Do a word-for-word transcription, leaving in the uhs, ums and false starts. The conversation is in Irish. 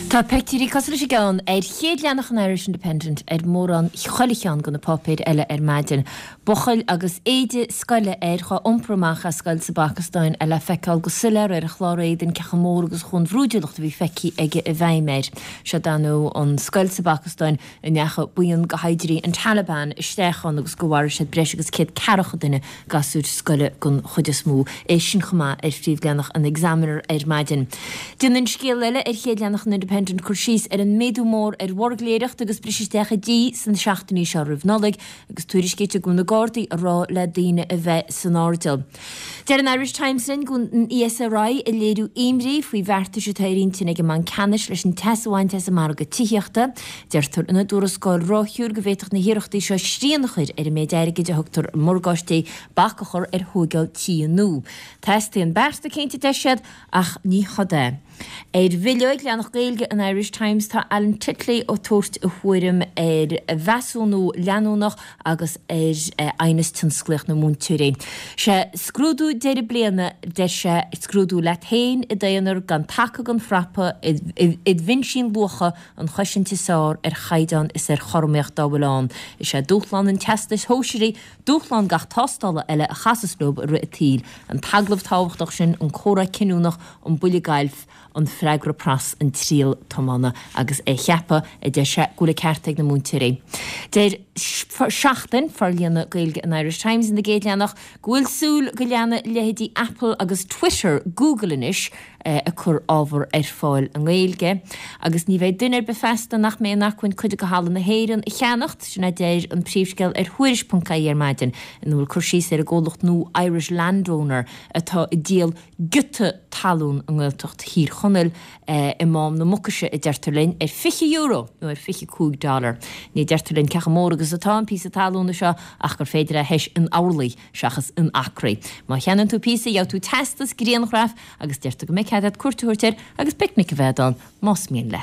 Tá pictiúirí cosúil leis an gceann ar chéad leathanach an Irish Independent ar mórán chuile cheann de na páipéir eile ar maidin. Buachaill agus éide scoile air dhá iompar amach as scoil sa bPacastáin é le feiceáil go soiléir ar a chlár éadain cé chomh mór agus chuaigh an bhrúidiúlacht a bhí feicthe aige i bhfeidhm air. Seo dar ndóigh an scoil sa bPacastáin a ndeachaigh buíon de shaighdiúirí an Taliban isteach ann agus go mharaigh siad breis agus céad ceathracha duine, gasúir scoile den chuid is mó. É sin chomh maith ar phríomhleathanach an Examiner ar maidin. Déanann scéal eile ar chéad leathanach an Independent cur síos ar an méadú mór ar bhuirgléireacht agus briseadh isteach i dtithe sna seachtainí seo roimh Nollaig agus tuairiscítear go bhfuil na Gardaí ag rá le daoine a bheith san airdeall. Deir an Irish Times linn go bhfuil an ESRI ag léiriú imní faoi bheartais atá ar intinn ag an mBanc Ceannais leis an teas a bhaint as an margadh tithíochta. Deirtear ina dtuarascáil ráithiúil go bhféadfadh na hiarrachtaí seo srian a chur ar an méid airgid a thugtar i morgáistí, bac a chur ar thógáil tithe nua. Teastaíonn bearta cinnte, deir siad, ach ní cad é. Ar bhileog leathanach Gaeilge an Irish Times tá Alan Titley ag tabhairt a thuairim ar mheasúnú leanúnach agus ar aighneas tionsclaíoch na múinteoirí. Sé scrúdú deireadh bliana, deir sé, scrúdú leat féin i d'aonar gan taca gan frapa, id mhinsín luacha an chosaint is fearr ar chaighdeán is ar chothromaíocht dá bhfuil ann. Is é dúshlán an Teastais Shóisearaigh dúshlán gach tástála eile a chasas leo i rith an tsaoil, an t-agallamh tábhachtach sin, an comhrá cinniúnach, an buille gailf, an freagra pras, an triail tiomána agus é a cheapadh, a deir sé, go bhfuil an ceart ag na múinteoirí. Deir Seachtain, forlíonadh Gaeilge an Irish Times ina gcéad leathanach, go bhfuil súil go leanfaidh leithéidí Apple agus Twitter Google anois ag cur ábhar ar fáil i nGaeilge. Agus ní bheidh duine ar bith feasta nach mbeidh in acmhainn cuid de thalamh na hÉireann a cheannacht, sin a deir an príomhscéal ar Thuairisc ponc ie ar maidin, ina bhfuil cur síos ar an gcomhlacht nua Irish Landowner atá ag díol giota talún i nGaeltacht Thír Chonaill i Mám na Mucaise, a deirtear linn, ar fiche euro nó ar fiche cúig dollar. Ní deirtear linn cé chomh mór agus atá an píosa talúna seo ach gur féidir é a thomhas in orlaí seachas in acraí. Má cheannaíonn tú píosa, gheobhaidh tú teastas, grianghraf agus deirtear go mbeidh cead agat cuairt a thabhairt air agus picnic a bheith ann más mian leat.